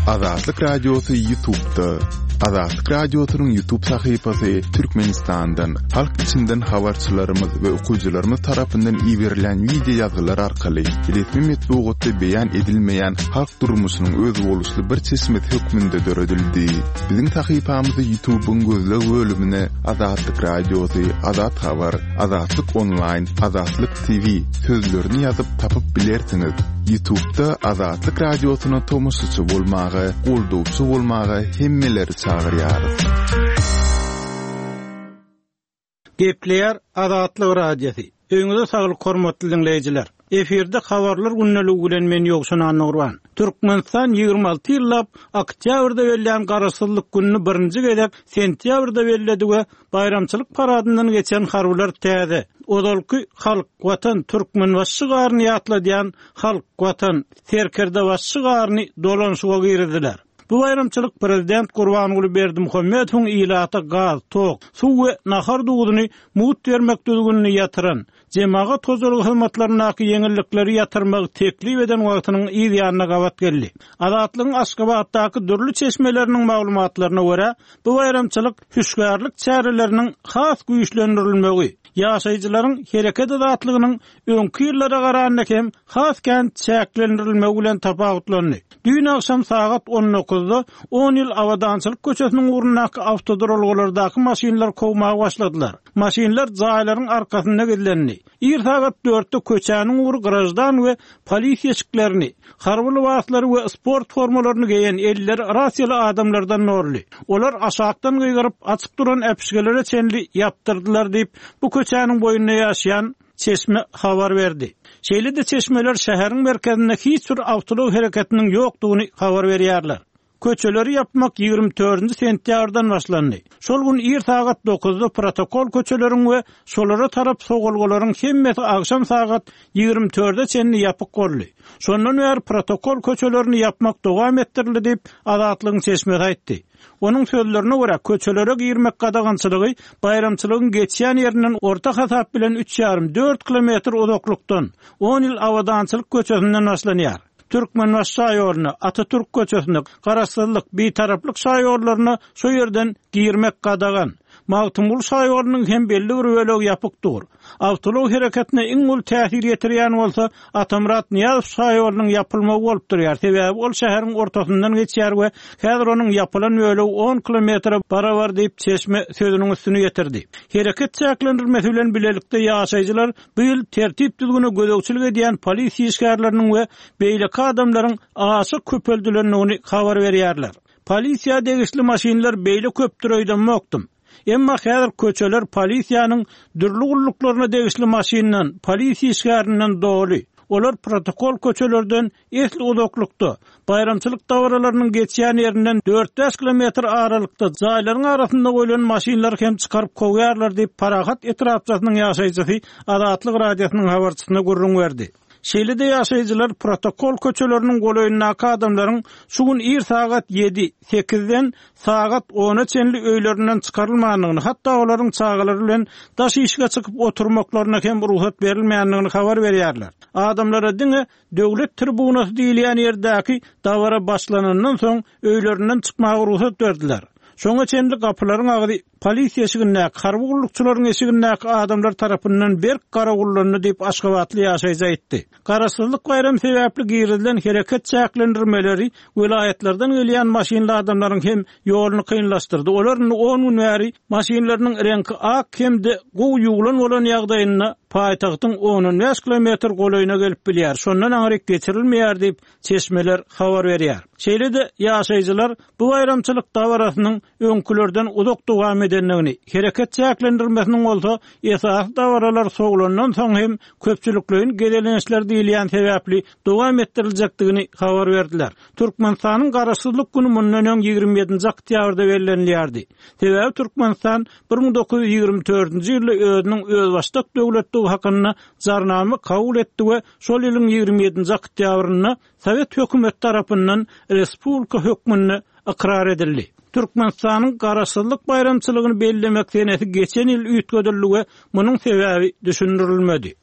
Azatlyk Radiosy Ýutubda. Azatlyk Radiosynyň Ýutub sahypasy Türkmenistandan, halk içinden habarçylarymyz we okyjylarymyz tarapyndan iberilýän wideo ýazgylar arkaly resmi metbugatda beýan edilmeýän halk durmuşynyň özboluşly bir çeşmesi hökmünde döredildi. Biziň sahypamyzy Ýutubyň gözleg bölümine Azatlyk Radiosy, Azat Habar, Azatlyk Onlaýn, Azatlyk TV sözlerini ýazyp tapyp bilersiňiz. Ýutubda Azatlyk Radiosyna tomaşaçy bolmaga, goldawçy bolmaga hemmeleri çagyrýarys. Gepleýär Azatlyk Radiosy. Öýüňize saglyk hormatly diňleýjiler. Efirde habarlar gündeligi bilen men Ýowşan Annagurban. Türkmenistan 26 ýyllap oktýabrda bellän Garaşsyzlyk gününi birinji gezek sentýabrda belledi we baýramçylyk paradyndan geçen harbylar täze, ozalky Halk, Watan, Türkmenbaşy şygaryny ýatladýan Halk, Watan, Serkerdebaşy şygaryny dolanyşyga girizdiler. Bu baýramçylyk prezident Gurbanguly Berdimuhamedowyň ilata gaz, tok, suw we nahar duzuny mugt bermek düzgünini ýatyran, jemagat hojalygy hyzmatlaryndaky ýeňillikleri ýatyrmagy teklip eden wagtynyň yz ýanyna gabat geldi. Azatlygyň Aşgabatdaky dürli çeşmeleriniň maglumatlaryna görä, bu baýramçylyk hüşgärlik çäreleriniň has güýçlendirilmegi, ýaşaýjylaryň hereket azatlygynyň öňki ýyllara garanda hem has kän çäklendirilmegi bilen tapawutlandy. Düýn agşam sagat on dokuzda On ýyl Abadançylyk köçesiniň ugrundaky awtoduralgalardaky maşynlary kowmaga başladylar. Maşynlar jaýlaryň arkasynda gizlendi. Ir sagat dörtde köçäniň ugry graždan we polisiýa eşiklerini, harby lybaslary we sport formalaryny geýen elleri rasiýaly adamlardan doldy. Olar aşakdan gygyryp, açyk duran äpişgelere çenli ýapdyrdylar diýip, bu köçäniň boýunda ýaşaýan Çeşme habar berdi. Şeýle-de çeşmeler şäheriň merkezinde hiç bir awtoulag hereketiniň ýokdugyny habar berýärler. Köçeleri ýapmak 24 nji sentýabrdan başlandy. Şol gün ir sagat dokuzda protokol köçeleriň we şolara tarap sogalgalaryň hemmesi agşam sagat 24-e çenli ýapyk boldy. Şondan bäri protokol köçelerini ýapmak dowam etdirildi diýip, Azatlygyň çeşmesi aýtdy. Onuň sözlerine görä, köçelere girmek gadagançylygy baýramçylygyň geçýän ýerinden orta hasap bilen üç ýarym, dört kilometr uzaklykdan, On ýyl Abadançylyk köçesinden başlanýar. Türkmenbaşy şaýoluna, Atatürk köçesine, Garaşsyzlyk, Bitaraplyk şaýollaryna şo ýerden girmek gadagan. Magtymguly şaýolunyň hem belli bir bölegi ýapyk dur. Awtoulag hereketine iň uly täsir ýetirýän bolsa Atamyrat Nyýazow şaýolunyň ýapylmagy bolup durýar, sebäbi ol şäheriň ortasyndan geçýär we häzir onuň ýapylan bölegi on kilometre barabar diýip, çeşme sözüniň üstüni ýetirdi. Hereket çäklendirmesi bilen bilelikde ýaşaýjylar bu ýyl tertip-düzgüne gözegçilik edýän polisiýa işgärleriniň we beýleki adamlaryň aşa köpeldilendigini habar berýärler. Polisiýa degişli maşynlar beýle köpdür öýdemokdym. Emma häzir köçeler polisiýanyň dürli gulluklaryna degişli maşyndan, polisiýa işgärinden doly. Olar protokol köçelerden esli uzaklykda, baýramçylyk dabaralarynyň geçýän ýerinden dört-bäş kilometr aralykda jaýlaryň arasynda goýlan maşynlary hem çykaryp kowýarlar diýip, Parahat etrapçasynyň ýaşaýjysy Azatlyk Radiosynyň habarçysyna gürrüň berdi. Şeýle-de ýaşaýjylar protokol köçeleriniň golaýyndaky adamlaryň şu gün ir sagat ýedi, sekizden sagat ona çenli öýlerinden çykarylmandygyny, hatda olaryň çagalary bilen daş işige çykyp oturmaklaryna hem rugsat berilmändigini habar berýärler. Adamlara diňe Döwlet tribunasy diýilýän ýerdäki dabara başlanandan soň öýlerinden çykmaga rugsat berdiler. Şoňa çenli gapylaryň agzy polisiýa eşigindäki, harby gullukçylaryň eşigindäki adamlar tarapyndan berk garawullandy diýip, aşgabatly ýaşaýjy aýtdy. Garaşsyzlyk baýramy sebäpli girizilen hereket çäklendirmeleri welaýatlardan gelýän maşynly adamlaryň hem ýoluny kynlaşdyrdy. Olar indi on gün bäri maşynlarynyň reňki ak hem-de gowy ýuwlan bolan ýagdaýynda paýtagtyň on-on bäş kilometr golaýyna gelip bilýär, şondan aňryk geçirilmeýär diýip, çeşmeler habar berýär. Şeýle-de, ýaşaýjylar bu baýramçylyk dabarasynyň öňkülerden uzak dowam edendigini, hereket çäklendirmesiniň bolsa esasy dabaralar sowlandan soň hem köpçülikleýin gezelençler diýilýän sebäpli dowam etdiriljekdigini habar berdiler. Türkmenistanyň Garaşsyzlyk güni mundan öň 27-nji oktýabrda bellenilýärdi. Sebäbi Türkmenistan 1924-nji ýylda özüniň özbaşdak döwletdigi hakynda Jarnama kabul etdi we şol ýylyň 27-nji oktýabrynda Sowet hökümeti tarapyndan respublika hökmünde ykrar edildi. Türkmenistanyň Garaşsyzlyk baýramçylygyny bellemek senesi geçen ýyl üýtgedildi we munuň sebäbi düşündirilmedi.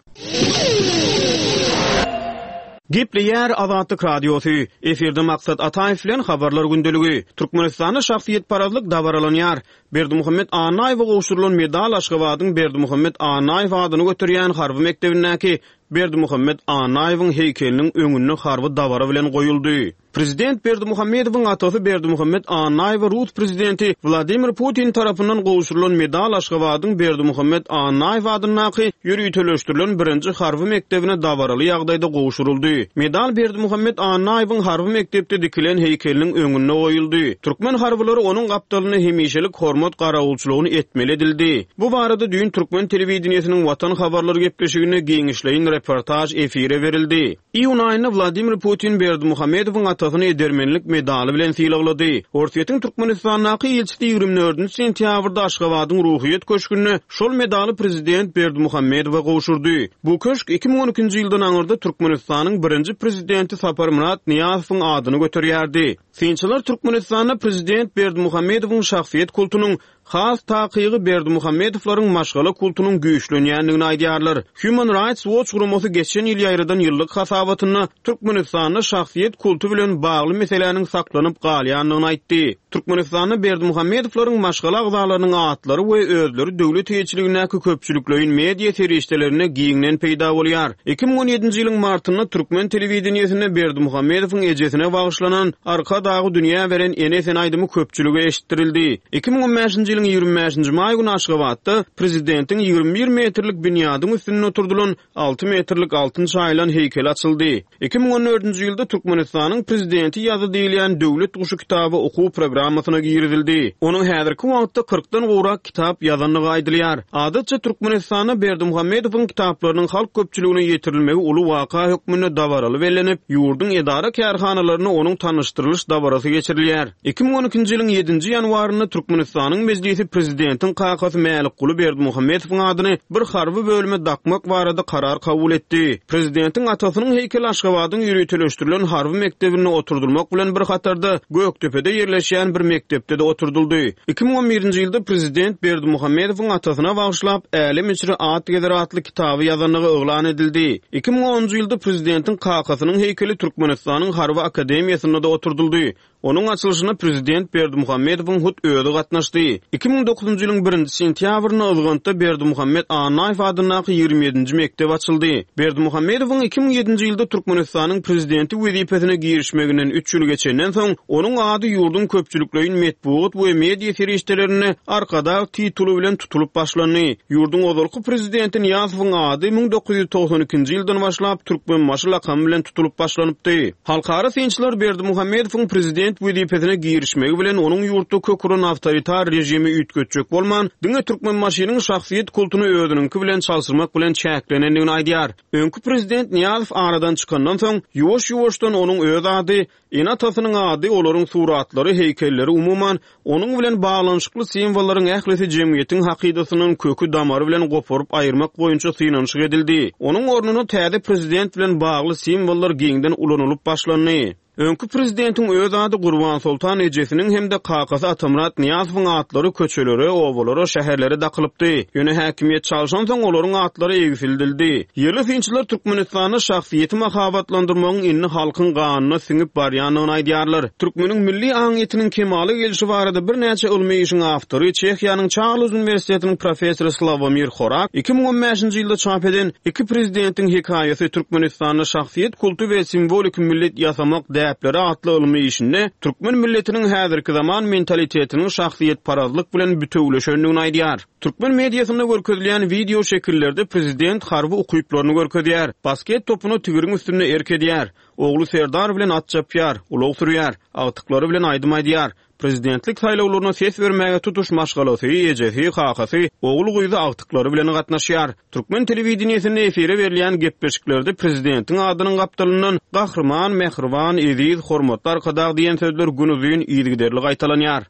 Gepleýär Azatlyk Radiosy, Efirde Maksat Ataýew bilen Habarlar gündeligi. Türkmenistanda şahsyýetparazlyk dabaralanýar. Berdimuhamet Annaýewe gowşurylan medal Aşgabadyň Berdimuhamet Annaýew adyny göterýän harby mekdebindäki Berdimuhamet Annaýewiň heýkeliniň öňünde harby dabara bilen goýuldy. Prezident Berdimuhamedowyň atasy Berdimuhamet Annaýewe rus prezidenti Wladimir Putin tarapyndan gowşurylan medal Aşgabadyň Berdimuhamet Annaýew adyndaky ýöriteleşdirilen birinji harby mekdebine dabaraly ýagdaýda gowşuryldy. Medal Berdimuhamet Annaýewiň harby mekdepde dikilen heýkeliniň öňünde goýuldy. Türkmen harbylary onuň gapdalynda hemişelik hormat garawulçylygyny etmeli edildi. Bu barada düýn türkmen telewideniýesiniň Watan habarlary gepleşiginde giňişleýin reportaž efire berildi. Iýun aýynda Wladimir Putin Berdimuhamedowyň atasyny edermenlik medaly bilen sylaglady. Orsýetiň Türkmenistandaky ilçisi 24 sentýabrda Aşgabadyň Ruhyýet köşgünde şol medaly prezident Berdimuhamedowa gowşurdy. Bu köşk 2012-nji ýyldan aňyrda Türkmenistanyň birinji prezidenti Saparmyrat Nyýazowyň adyny göterýärdi. Synçylar Türkmenistanda prezident Berdimuhamedowyň şahsyýet kultunyň Has takygy Berdimuhamedowlaryň maşgala kultunyň güýçlenýändigini aýdýarlar. Human Rights Watch guramasy geçen ýyl ýaýradan ýyllyk hasabatynda Türkmenistanda şahsyýet kulty bilen bagly meseläniň saklanyp galýandygyny aýtdy. Türkmenistanda Berdimuhamedowlaryň maşgala agzalarynyň atlary we özleri döwlet eýeçiligindäki köpçülikleýin media serişdelerinde giňden peýda bolýar. 2017-nji ýylyň martynda türkmen telewideniýesinde Berdimuhamedowyň ejesine bagyşlanan Arkadagy dünýä beren ene sen aýdymy köpçülige eşitdirildi. 2015-nji ýylyň 25-nji maý güni Aşgabatda prezidentiň 21 metrlik binýadyň üstünde oturdylan alty metrlik altyn çaýylan heýkeli açyldy. 2014-nji ýylda Türkmenistanyň Prezidenti ýazdy diýilýän Döwlet guşy kitaby okuw programmasyna girizildi. Onuň häzirki wagtda kyrkdan gowrak kitap ýazandygy aýdylýar. Adatça Türkmenistanda Berdimuhamedowyň kitaplarynyň halk köpçüligine ýetirilmegi uly waka hökmünde dabaraly bellenip, ýurduň edara-kärhanalarynda onuň tanyşdyrylyş dabarasy geçirilýär. 2012-nji ýylyň ýedinji ýanwarynda Türkmenistanyň Mejlisi prezidentiň kakasy Mälikguly Berdimuhamedowyň adyny bir harby bölüme dakmak barada karar kabul etdi. Prezidentiň atasynyň heýkeli Aşgabadyň ýöriteleşdirilen harby mekdebinde oturdylmak bilen bir hatarda Gökdepede ýerleşýän bir mekdepde-de oturdyldy. 2011-nji ýylda prezident Berdimuhamedowyň atasyna bagyşlap Älem içre at gezer atly kitaby ýazandygy yglan edildi. 2010-njy ýylda prezidentiň kakasynyň heýkeli Türkmenistanyň Harby akademiýasynda-da oturdyldy. Onuň açylyşyna prezident Berdimuhamedowyň hut özi gatnaşdy. 2009-njy ýylyň birinji sentýabrynda Yzgantda Berdimuhamet Annaýew adyndaky 27-nji mekdep açyldy. Berdimuhamedowyň 2007-nji ýylda Türkmenistanyň prezidenti wezipesine girişmeginden üç ýyl geçenden soň, onuň ady ýurduň köpçülikleýin metbugat we media serişdelerinde Arkadag tituly bilen tutulyp başlandy. Ýurduň ozalky prezidenti Nyýazowyň ady 1992-nji ýyldan başlap Türkmenbaşy lakamy bilen tutulyp başlanypdy. Halkara synçylar Berdimuhamedowyň prezident wezipesine girişmegi bilen onuň ýurtda kök uran awtoritar režimi üýtgetjek bolman, diňe Türkmenbaşynyň şahsyýet kultuny özüniňki bilen çalşyrmak bilen çäklenendigini aýdýar. Öňki prezident Nyýazow aradan çykandan soň, ýuwaş-ýuwaşdan onuň öz ady, Ene-atasynyň ady, olaryň suratlary, heýkelleri, umuman, onuň bilen baglanyşykly simwollaryň ählisi jemgyýetiň hakydasyndan köki-damary bilen goparyp aýyrmak boýunça synanyşyk edildi. Onuň ornuna täze prezident bilen bagly simwollar giňden ulanylyp başlandy. Öňki prezidentiň öz ady Gurbansoltan ejesiniň hem-de kakasy Atamyrat Nyýazowyň atlary köçelere, obalara, şäherlere dakylypdy. Ýöne häkimiýet çalşansoň olaryň atlary egsildildi. Ýerli synçylar Türkmenistanda şahsyýeti mahabatlandyrmagyň indi halkyň ganyna siňip barýandygyny aýdýarlar. Türkmeniň milli aňyýetiniň kemala gelşi barada birnäçe ylmy işiň awtory, Çehiýanyň Çarlz uniwersitetiniň professory Slawomir Horak 2015-nji ýylda çap eden Iki prezidentiň hekaýasy, Türkmenistanda şahsyýet kulty we simwolik millet ýasamak däpleri atly ylmy işinde türkmen milletiniň häzirki zaman mentalitetiniň şahsyýetparazlyk bilen bitewüleşendigini aýdýar. Türkmen mediasynda görkezilýän wideo şekillerde prezident harby ukyplaryny görkezýär, basket topuna tigiriň üstünde erk edýär, ogly Serdar bilen at çapýar, ulag sürýär, agtyklary bilen aýdym aýdýar. Prezidentlik saýlawlaryna ses bermäge tutuş maşgalasy, ejesi, kakasy, ogul-gyzy, agtyklary bilen gatnaşýar. Türkmen telewideniýesinde efire berilýän gepleşiklerde prezidentiň adynyň gapdalyndan Gahryman, Mähriban, Eziz, Hormatly Arkadag diýen sözler günuzyn yzygiderli gaýtalanýar.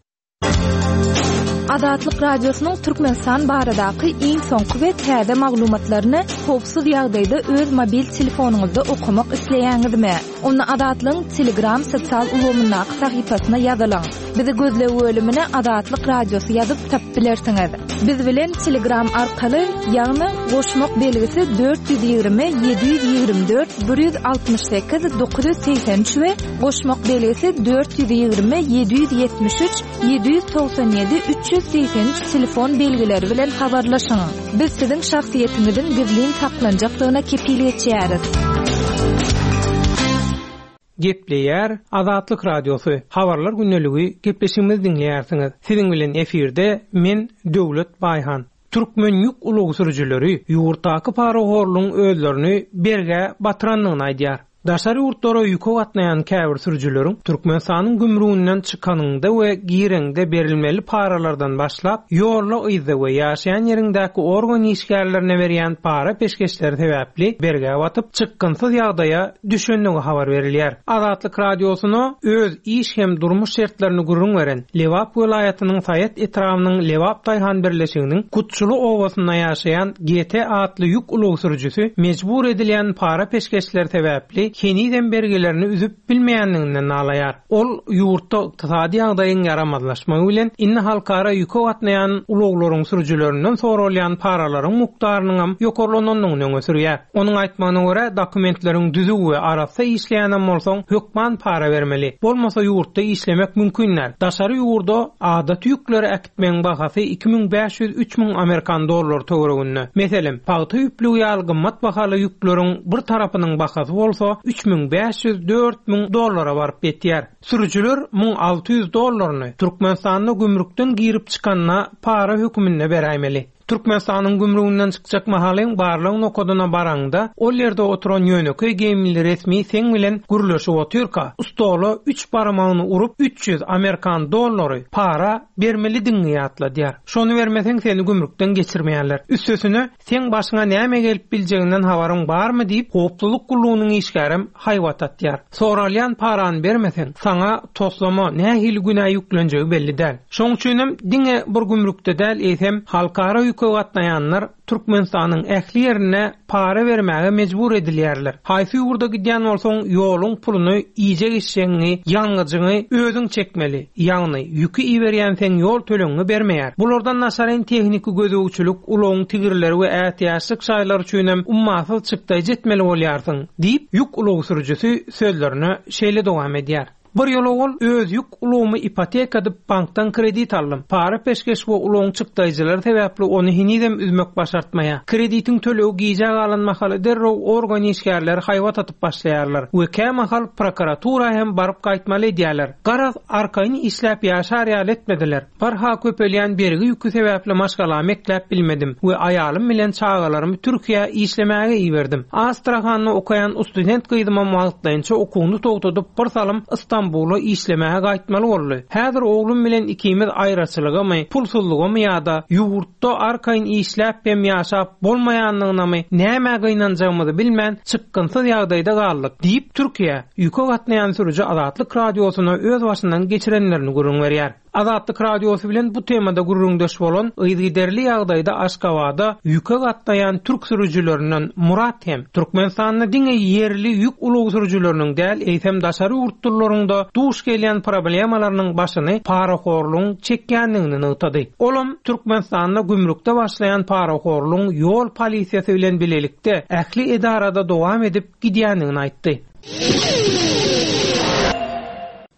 Azatlyk Radiosynyň Türkmenistan baradaky iň soňky we täze maglumatlaryny howpsuz ýagdaýda öz mobil telefonyňyzda okamak isleýäňizmi? Onda Azatlygyň Telegram sosial ulgamyndaky sahypasyna ýazylyň. Bizi gözleg bölümine Azatlyk Radiosy ýazyp tapyp bilersiňiz. Biz bilen Telegram arkaly, ýagny goşmak belgisi 420 724 168 983 we goşmak belgisi 420 773 797 383 telefon belgileri bilen habarlaşyň. Biz siziň şahsyýetiňiziň gizlin saklanjakdygyna kepil geçýäris. Gepleýär Azatlyk Radiosy, Habarlar gündeligi gepleşigimizi diňleýärsiňiz. Siziň bilen efirde men Döwlet Baýhan. Türkmen ýük ulag sürüjileri ýurtdaky parahorlugyň özlerini bergä batyrandygyny aýdýar. Daşary ýurtlara ýüke gatnaýan käbir sürüjileriň Türkmenistanyň gümrüginden çykanyňda we gireňde berilmeli paralardan başlap, ýolda-yzda we ýaşaýan ýeriňdäki organ işgärlerine berýän para-peşgeşleri sebäpli bergä batyp, çykgynsyz ýagdaýa düşendigi habar berilýär. Azatlyk Radiosyna öz iş hem durmuş şertlerini gürrüň beren Lebap welaýatynyň Saýat etrabynyň Lebap daýhan birleşiginiň Kutçuly obasynda ýaşaýan GT atly ýük ulag sürüjisi mejbur edilýän para-peşgeşler sebäpli henizem bergilerini üzüp bilmeýändiginden nalaýar. Ol ýurtda ykdysady ýagdaýyň ýaramazlaşmagy bilen, indi halkara ýüke gatnaýan ulaglaryň sürüjilerinden soralýan paralaryň mukdarynyňam ýokarlanandygyny öňe sürýär. Onuň aýtmagyna görä, dokumentleriň düzüw we arassa işleýänem bolsaň, hökman para bermeli. Bolmasa ýurtda işlemek mümkin däl. Daşary ýurda adaty ýükleri äkitmegiň bahasy 2500, 3000 amerikan dollary töwereginde. Meselem, pagta ýüplügi ýaly gymmat bahaly ýükleriň bir tarapynyň bahasy bolsa 3500, 4000 dollara baryp ýetýär. Sürüjiler 1600 dollaryny Türkmenistanda gümrükden girip çykanda para höküminde beräýmeli. Türkmenistanyň gümrüginden çykjak mahalyň barlag nokadyna baraňda, ol ýerde oturan ýönekeý geýimli resmi seň bilen gürleşip otyrka, stola üç barmagyny urup, 300 amerikan dollary para bermelidigiňi ýatladýar. Şony bermeseň seni gümrükden geçirmeýärler. Üstesine, seň başyňa näme gelip biljeginden habaryň barmy diýip, howpsuzlyk gullugynyň işgärem haýbat atýar. Soralýan parany bermeseň, saňa toslama nähili günä ýüklenjegi belli däl. Şoň üçinem diňe bir gümrükde däl, eýsem, halkara ýüke gatnaýanlar Türkmenistanyň ähli ýerinde para bermäge mejbur edilýärler. Haýsy ýurda gidýän bolsaň, ýoluň puluny, iýjek-içjegiňi, ýangyjyňy özüň çekmeli. Ýagny, ýüki iberýän seň ýol tölegiňi bermeýär. Bulardan daşaryn tehniki gözegçilik, ulagyň tigirleri we ätiýaçlyk şaýlary üçinem ummasyz çykdaýjy etmeli bolýarsyň, diýip, ýük ulag sürüjisi sözlerine şeýle dowam edýär. Bir ýyl owal öz ýük ulagymy ipoteka edip bankdan kredit aldym. Para-peşgeş we ulagyň çykdaýjylary sebäpli ony henizem üzmek başartmaýar. Kreditiň tölegi gijä galan mahaly derrew organ işgärleri haýbat atyp başlaýarlar we kämahal prokuratura hem baryp gaýtmaly edýärler. Garaz, arkaýyn işläp ýaşar ýaly etmediler. Barha köpelýän bergi ýüki sebäpli maşgalamy ekläp bilmedim we aýalym bilen çagalarymy Türkiýä işlemäge iberdim. Astrahanda okaýan ustudent gyzymam wagtlaýynça okuwyny togtadyp bir salym Stambula işlemäge gaýtmaly boldy. Häzir oglum bilen ikimiz aýraçylygamy, pulsuzlygamy ýa-da ýurtda arkaýyn işläp hem ýaşap bolmaýandygynamy nämä gynanjagymyzy bilmän çykgynsyz ýagdaýda galdyk, diýip, Türkiýä ýüke gatnaýan sürüji Azatlyk Radiosyna öz başyndan geçirenlerini gürrüň berýär. Azatlyk Radiosy bilen bu temada gürrüňdeş bolan yzygiderli ýagdaýda Aşgabada ýüke gatnaýan türk sürüjilerinden Murat hem Türkmenistanda diňe ýerli ýük ulag sürüjileriniň däl, eýsem daşary ýurtlylaryň-da duş gelýän problemalarynyň başyny parahorlugyň çekýändigini nygtady. Olam Türkmenistanda gümrükde başlaýan parahorlugyň ýol polisiýasy bilen bilelikde ähli edarada dowam edip gidýändigini aýtdy.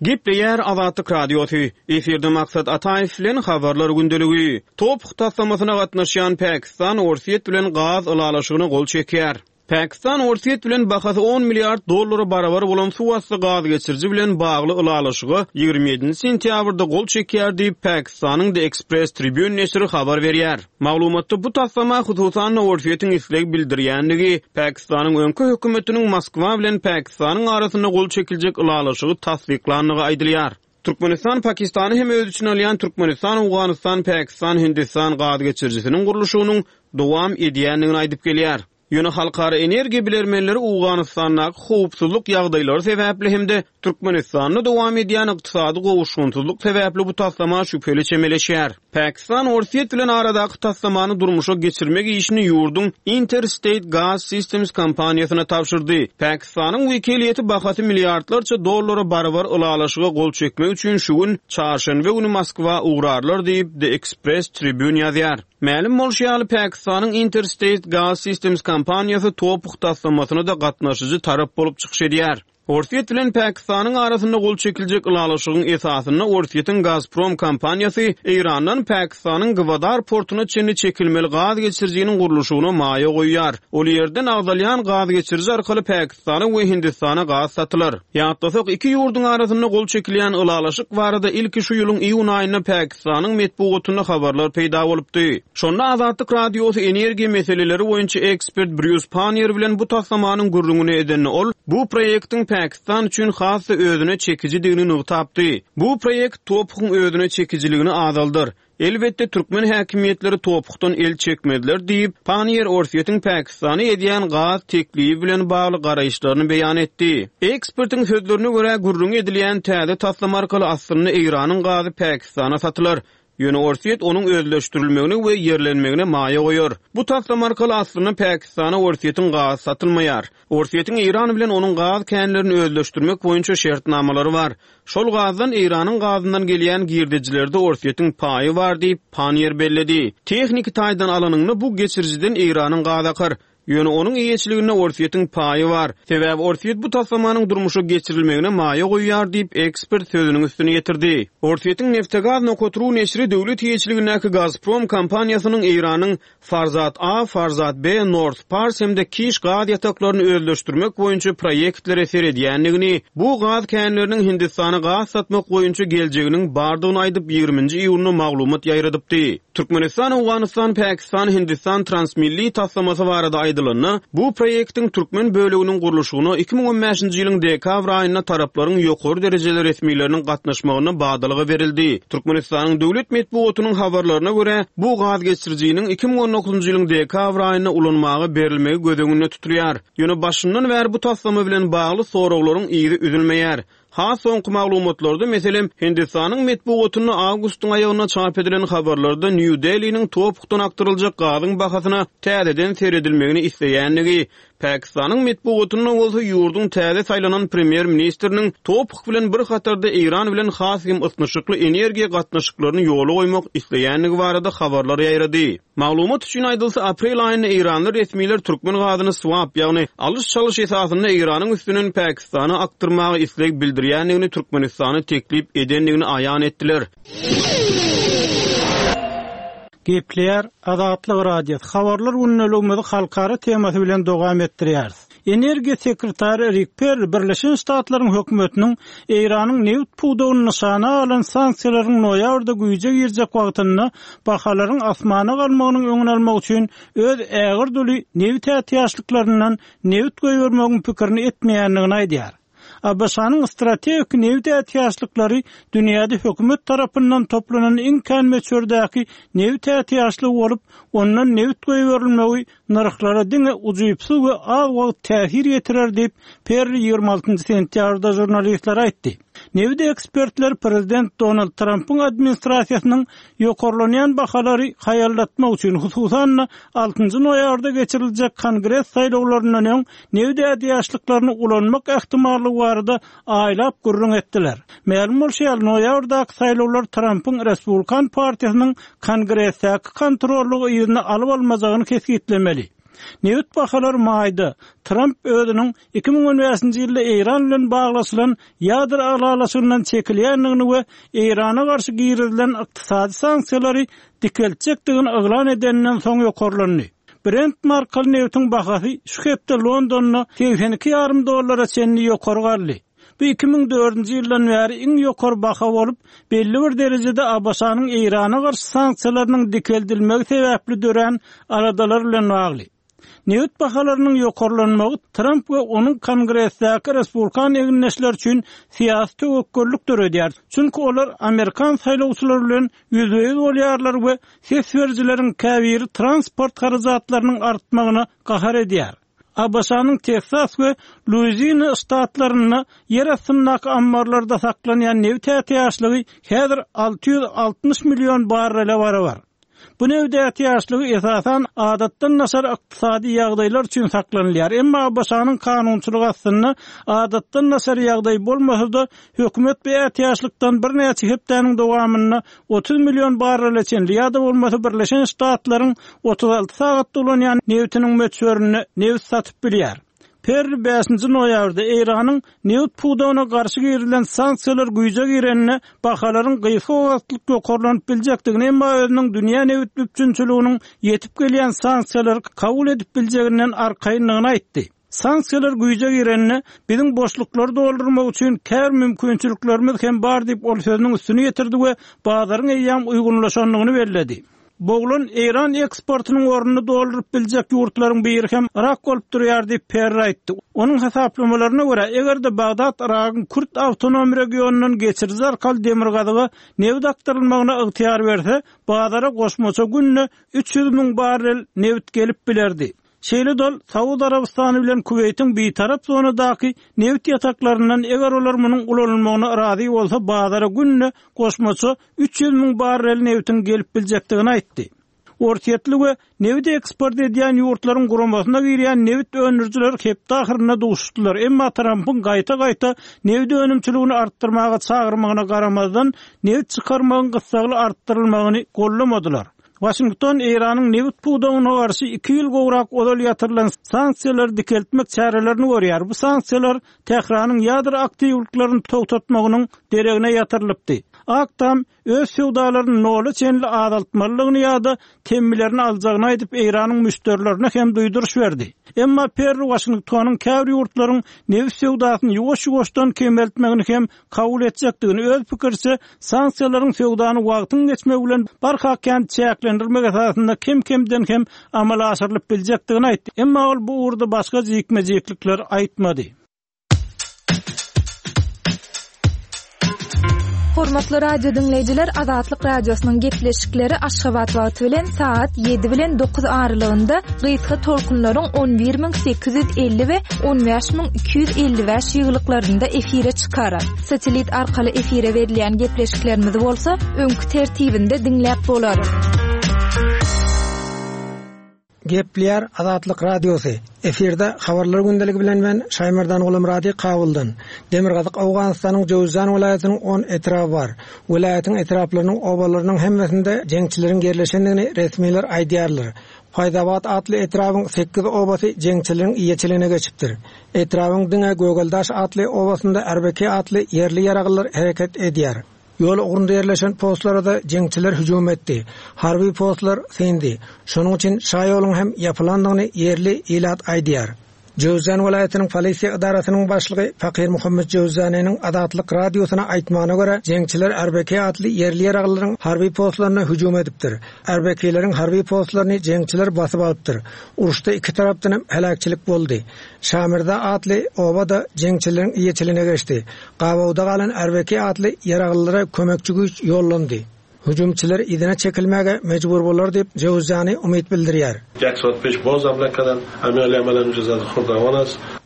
Gepleýär Azatlyk Radiosy, Efirde Maksat Ataýew bilen Habarlar gündeligi. TOPH taslamasyna gatnaşýan Pakistan Orsýet bilen gaz ylalaşygyna gol çekýär. Pakistan Orsýet bilen bahasy on milliard dollara barabar bolan suwasty gaz geçiriji bilen bagly ylalaşyga 27-nji sentýabrda gol çekýär diýip, Pakistanyň The Express Tribune neşiri habar berýär. Maglumatda bu taslama hususan-da Orsýetiň isleg bildirýändigi, Pakistanyň öňki hökümetiniň Moskwa bilen Pakistanyň arasynda gol çekiljek ylalaşygy tassyklandygy aýdylýar. Türkmenistan Pakistany hem öz içine alýan Türkmenistan-Owganystan-Pakistan-Hindistan gaz geçirijisiniň gurluşygynyň dowam edýändigini aýdyp gelýär. Ýöne halkara energiýa bilermenleri Owganystandaky howpsuzlyk ýagdaýlary sebäpli hem-de Türkmenistanda dowam edýän ykdysady gowuşgynsyzlyk sebäpli bu taslama şübheli çemeleşýär. Pakistan Orsýet bilen aradaky taslamany durmuşa geçirmek işini ýurduň Interstate Gas Systems kompaniýasyna tabşyrdy. Pakistanyň wekiliýeti bahasy milliardlarça dollara barabar ylalaşyga gol çekmek üçin şu gün, çarşenbe güni Moskwa ugrarlar diýip, The Express Tribune ýazýar. Mälim bolşy ýaly, Pakistanyň Interstate Gas Systems kompaniýasy TOPH taslamasyna-da gatnaşyjy tarap bolup çykyş edýär. Orsýet bilen Pakistanyň arasynda gol çekiljek ylalaşygyň esasynda Orsýetiň Gazprom kompaniýasy Eýrandan Pakistanyň Gwadar portuna çenli çekilmeli gaz geçirijiniň gurluşygyna maýa goýýar. Ol ýerden agzalýan gaz geçiriji arkaly Pakistana we Hindistana gaz satylar. Ýatlasak, iki ýurduň arasynda gol çekilýän ylalaşyk barada ilki şu ýylyň iýun aýynda Pakistanyň metbugatynda habarlar peýda bolupdy. Şonda Azatlyk Radiosy energiýa meseleleri boýunça ekspert Brýus Panniýer bilen bu taslamanyň gürrüňini edende ol, bu proýektiň Pakistan üçin has-da özüne çekijidigini nygtapdy. Bu proýekt TOPH-yň özüne çekijiligini azaldar. Elbetde, türkmen häkimiýetleri TOPH-dan el çekmezler diýip, Panniýer Orsýetiň Pakistana edýän gaz teklibi bilen bagly garaýyşlaryny beýan etdi. Ekspertiň sözlerine görä, gürrüňi edilýän täze taslama arkaly aslynda Eýranyň gazy Pakistana satylar. Ýöne Orsýet onuň özleşdirilmegine we ýerlenmegine maýa goýar. Bu taslama arkaly aslynda Pakistana Orsýetiň gazy satylmaýar. Orsýetiň Eýran bilen onuň gaz känlerini özleşdirmek boýunça şertnamalary bar. Şol gazdan Eýranyň gazyndan gelýän girdejilerde Orsýetiň paýy bar diýip, Panniýer belledi. Tehniki taýdan alanyňda bu geçirijiden Eýranyň gazy akar. Ýöne onuň eýeçiliginde Orsýetiň paýy bar. Sebäbi Orsýet bu taslamanyň durmuşa geçirilmegine maýa goýýar diýip, ekspert sözüniň üstüni ýetirdi. Orsýetiň Neftegaz nokat ru neşiri döwlet eýeçiligindäki Gazprom kompaniýasynyň Eýranyň Farzat A, Farzat B, North Pars hem-de Kiş gaz ýataklaryny özleşdirmek boýunça proýektlere seredýändigini, bu gaz känleriniň Hindistana gaz satmak boýunça geljeginiň bardygyny aýdyp, ýigriminji iýunda maglumat ýaýradypdy. Türkmenistan, Owganystan, Pakistan, Hindistan transmilli taslamasy barada aýdylanda, bu proýektiň türkmen böleginiň gurluşygyna 2015-nji ýylyň dekabr aýynda taraplaryň ýokary derejeli resmileriniň gatnaşmagynda badalga berildi. Türkmenistanyň döwlet metbugatynyň habarlaryna görä, bu gaz geçirijiniň 2019-njy ýylyň dekabr aýynda ulanmaga berilmegi göz öňünde tutulýar. Ýöne başyndan bäri bu taslama bilen bagly soraglaryň yzy üzülmeýär. Has soňky maglumatlarda, meselem, Hindistanyň metbugatynda awgustyň aýagynda çap edilen habarlarda Nýu-Deliniň TOPH-dan akdyryljak gazyň bahasyna täzeden seredilmegini isleýändigi, Pakistanyň metbugatynda bolsa ýurduň täze saýlanan premýer-ministriniň TOPH bilen bir hatarda Eýran bilen has hem ysnyşykly energiýa gatnaşyklaryny ýola goýmak isleýändigi barada habarlar ýaýrady. Maglumat üçin aýdylsa, aprel aýynda eýranly resmiler türkmen gazyny swap, ýagny alyş-çalyş esasynda Eýranyň üstünden Pakistana akdyrmaga isleg bildirýändigini Türkmenistana teklip edendigini aýan etdiler. Gepleýär Azatlyk Radiosy, Habarlar gündeligimizi halkara temasy bilen dowam etdirýäris. Energiýa sekretary Rik Perri Birleşen Ştatlaryň hökümetiniň Eýranyň nebit pudagyny nyşana alan sanksiýalaryň noýabrda güýje girjek wagtynda bahalaryň asmana galmagynyň öňüni almak üçin öz ägirt uly nebit ätiýaçlyklaryndan nebit goýbermegiň pikirini etmeýändigini aýdýar. ABŞ-nyň strategik nebit ätiýaçlyklary dünýäde hökümet tarapyndan toplanan iň kän möçberdäki nebit ätiýaçlygy bolup, ondan nebit goýberilmegi nyrhlara diňe ujypsyz we az wagt täsir ýetirer diýip, Perri 26 sentýabrda žurnalistlere aýtdy. Nebit ekspertleri prezident Donald Trampyň administrasiýasynyň ýokarlanýan bahalary haýallatmak üçin, hususan-da, altynjy noýabrda geçiriljek Kongres saýlawlaryndan öň nebit ätiýaçlyklaryny ulanmak ähtimallygy barada aýlap gürrüň etdiler. Mälim bolşy ýaly, noýabrdaky saýlawlar Trampyň Respublikan partiýasynyň Kongresdäki kontrollygy yzyna alyp-almajagyny kesgitlemeli. Nebit bahalary maýda, Tramp özüniň 2015-nji ýylda Eýran bilen baglaşylan ýadro ylalaşygyndan çekilýändigini we Eýrana garşy girizilen ykdysady sanksiýalary dikeltjekdigini yglan edeninden soň ýokarlandy. Brent markaly nebitiň bahasy şu hepde Londonda 82 ýarym dollara çenli ýokary galdy. Bu 2004-nji ýyldan bäri iň ýokary baha bolup, belli bir derejede ABŞ-nyň Eýrana garşy sanksiýalarynyň dikeldilmegi sebäpli dörän aladalar bilen bagly. Nebit bahalarynyň ýokarlanmagy Tramp we onuň Kongresdäki respublikan egindeşleri üçin syýasy töwekgellik döredýär, çünki olar amerikan saýlawçylary bilen ýüzbe-ýüz bolýarlar we ses berijileriň käbiri transport harajatlarynyň artmagyna gahar edýär. ABŞ-nyň Teksas we Luizina ştatlarynda ýer astyndaky ammarlarda saklanýan nebit ätiýaçlygy häzir 660 million barrele barabar. Bu nebit ätiýaçlygy esasan adatdan daşary ykdysady ýagdaýlar üçin saklanylýar. Emma ABŞ-nyň kanunçylygy astynda adatdan daşary ýagdaý bolmasa-da, hökümet bu ätiýaçlykdan birnäçe hepdäniň dowamynda 30 million barrele çenli ýa-da bolmasa Birleşen Ştatlaryň 36 sagatda ulanýan nebitiniň möçberinde nebit satyp bilýär. Perri bäşinji noýabrda Eýranyň nebit pudagyna garşy girizilen sanksiýalar güýje girende bahalaryň gysga wagtlyk ýokarlanyp biljekdigini, emma özüniň dünýä nebit üpjünçiliginiň ýetip gelýän sanksiýalary kabul edip biljeginden arkaýyndygyny aýtdy. Sanksiýalar güýje girende biziň boşluklary doldurmak üçin käbir mümkinçiliklerimiz hem bar diýip, ol sözüniň üstüni ýetirdi we bazaryň eýýäm uýgunlaşandygyny belledi. Boglan eýran eksportynyň ornuny dolduryp biljek ýurtlaryň biri hem Yrak bolup durýar diýip, Perri aýtdy. Onuň hasaplamalaryna görä, eger-de Bagdat Yragyň kürt awtonom regionyndan geçiriji arkaly demirgazyga nebit akdyrylmagyna ygtyýar berse, bazara goşmaça günde 300 müň barrel nebit gelip bilerdi. Şeýle-de ol Saud Arabystany bilen Kuweýtiň bitarap zonadaky nebit ýataklaryndan eger olar munuň ulanylmagyna razy bolsa bazara günde goşmaça 300 müň barrel nebitiň gelip biljekdigini aýtdy. Orsýetli we nebit eksport edýän ýurtlaryň guramasyna girýän nebit öndürijiler hepde ahyrynda duşuşdylar, emma Trampyň gaýta-gaýta nebit önümçiligini artdyrmaga çagyrmagyna garamazdan, nebit çykarmagyň gyssagly artdyrylmagyny goldamadylar. Waşington Eýranyň nebit pudagyna garşy iki ýyl gowrak ozal ýatyrylan sanksiýalary dikeltmek çärelerini görýär. Bu sanksiýalar Tähranyň ýadro aktiwliklerini togtatmagynyň deregine ýatyrylypdy. Ak Tam öz söwdalaryny nola çenli azaltmalydygyny ýa-da temmilerini aljagyny aýdyp, Eýranyň müşderilerine hem duýduryş berdi. Emma Perri Waşingtonyň käbir ýurtlaryň nebit söwdasyny ýuwaş-ýuwaşdan kemeltmegini hem kabul etjekdigini, öz pikiriçe, sanksiýalaryň söwdany wagtyň geçmegi bilen barha kän çäklendirmek esasynda kem-kemden hem amala aşyrylyp biljekdigini aýtdy. Emma ol bu ugurda başga jikme-jiklikler aýtmady. Hormatly radio diňleýjiler, Azatlyk Radiosynyň gepleşikleri Aşgabat wagty bilen sagat 7 bilen 9 aralygynda gysga tolkunlaryň 11850 we 15255 ýygylyklarynda efire çykar. Satellit arkaly efire berilýän gepleşiklerimizi bolsa öňki tertibinde diňläp bolar. Gepleýär Azatlyk Radiosy. Efirde Habarlar gündeligi bilen men Şaýmerdan Gulumyrady Kabuldan. Demirgazyk Owganystanyň Jöwüzjan welaýatynyň on etraby bar. Welaýatyň etraplarynyň obalarynyň hemmesinde jeňçileriň ýerleşendigini resmiler aýdýarlar. Faýzabat atly etrabyň sekiz obasy jeňçileriň eýeçiligine geçipdir. Etrabyň diňe Gögeldaş atly obasynda RBK atly ýerli ýaraglylar hereket edýär. Ýol ugrunda ýerleşen postlara-da jeňçiler hüjüm etdi. Harby postlar syndy. Şonuň üçin şaýoluň hem ýapylandygyny ýerli ilat aýdýar. Jöwüzjan welaýatynyň polisiýa edarasynyň başlygy Fakir Muhammet Jöwüzjanynyň Azatlyk Radiosyna aýtmagyna görä, jeňçiler RBK atly ýerli ýaraglylaryň harby postlaryna hüjüm edipdir. RBK-leriň harby postlaryny jeňçiler basyp alypdyr. Uruşda iki tarapdan hem heläkçilik boldy. Şamirza atly oba-da jeňçileriň eýeçiligine geçdi. Gabawda galan RBK atly ýaraglylara kömekçi güýç ýollandy. Hüjümçiler yzyna çekilmäge mejbur bolar diýip, Jöwüzjany umyt bildirýär.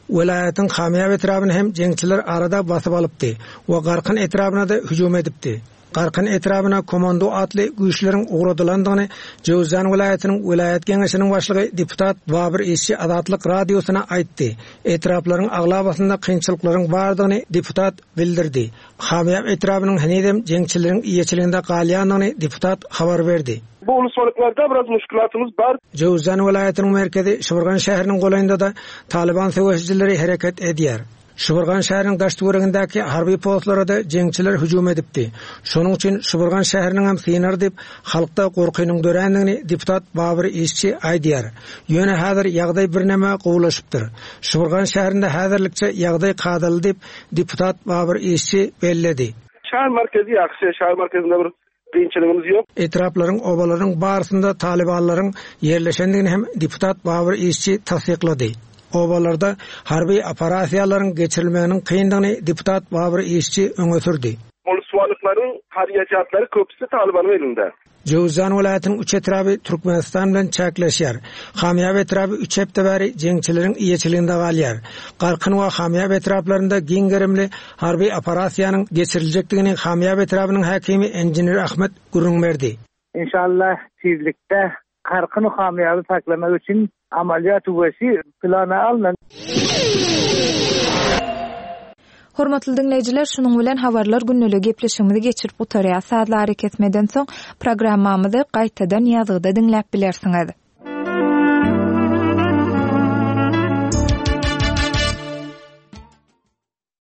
Welaýatyň Kamýap etrabyny hem jeňçiler arada basyp alypdy we Garkyn etrabyna-da hüjüm edipdi. Garkyn etrabyna Komando atly güýçleriň ugradylandygyny Jöwüzjan welaýatynyň welaýat geňeşiniň başlygy deputat Babyr Işçi Azatlyk Radiosyna aýtdy. Etraplaryň aglabasynda kynçylyklaryň bardygyny deputat bildirdi. Hamýap etrabynyň henizem jeňçileriň eýeçiliginde galýandygyny deputat habar berdi. Bu ulusmalyklarda biraz muşkilatymyz bar. Jöwüzjan welaýatynyň merkezi Şybyrgan şäheriniň golaýynda-da Talyban söweşijileri hereket edýär. Şybyrgan şäheriniň daş-töweregindäki harby postlara-da jeňçiler hüjüm edipdi. Şonuň üçin Şybyrgan şäheriniňem synar diýip, halkda gorkynyň dörändigini deputat Babyr Işçi aýdýar. Ýöne häzir ýagdaý birneme gowulaşypdyr. Şybyrgan şäherinde häzirlikçe ýagdaý kadaly diýip, deputat Babyr Işçi belledi. Şäher merkezi ýagşy, şäher merkezinde bir. Kynçylygymyz ýok. Etraplaryň, obalaryň barysynda talybanlaryň ýerleşendigini hem deputat Babur Işçi tassyklady. Obalarda harby operasiýalaryň geçirilmeginiň kyndygyny deputat Babur Işçi öňe sürdi. Olsuwalyklaryň harýajatlary köpüsi talybanyň elinde. Jöwüzjan welaýatynyň üç etraby Türkmenistan bilen çäkleşýär. Hamýap etraby üç hepde bäri jeňçileriň eýeçiliginde galýar. Garkyn we Hamýap etraplarynda giň gerimli harby operasiýanyň geçiriljekdigini Hamýap etrabynyň häkimi Enjiner Ahmet gürrüň berdi. Inşallah tizlikde Karkyny Hamýaby saklamak üçin amalýat wesi plana alnan. Hormatly diňleýjiler, şunuň bilen Habarlar gündeligi gepleşigimizi geçirip gutarýas. Sazly arakesmeden soň programmamyzy gaýtadan ýazgyda diňläp bilersiňiz.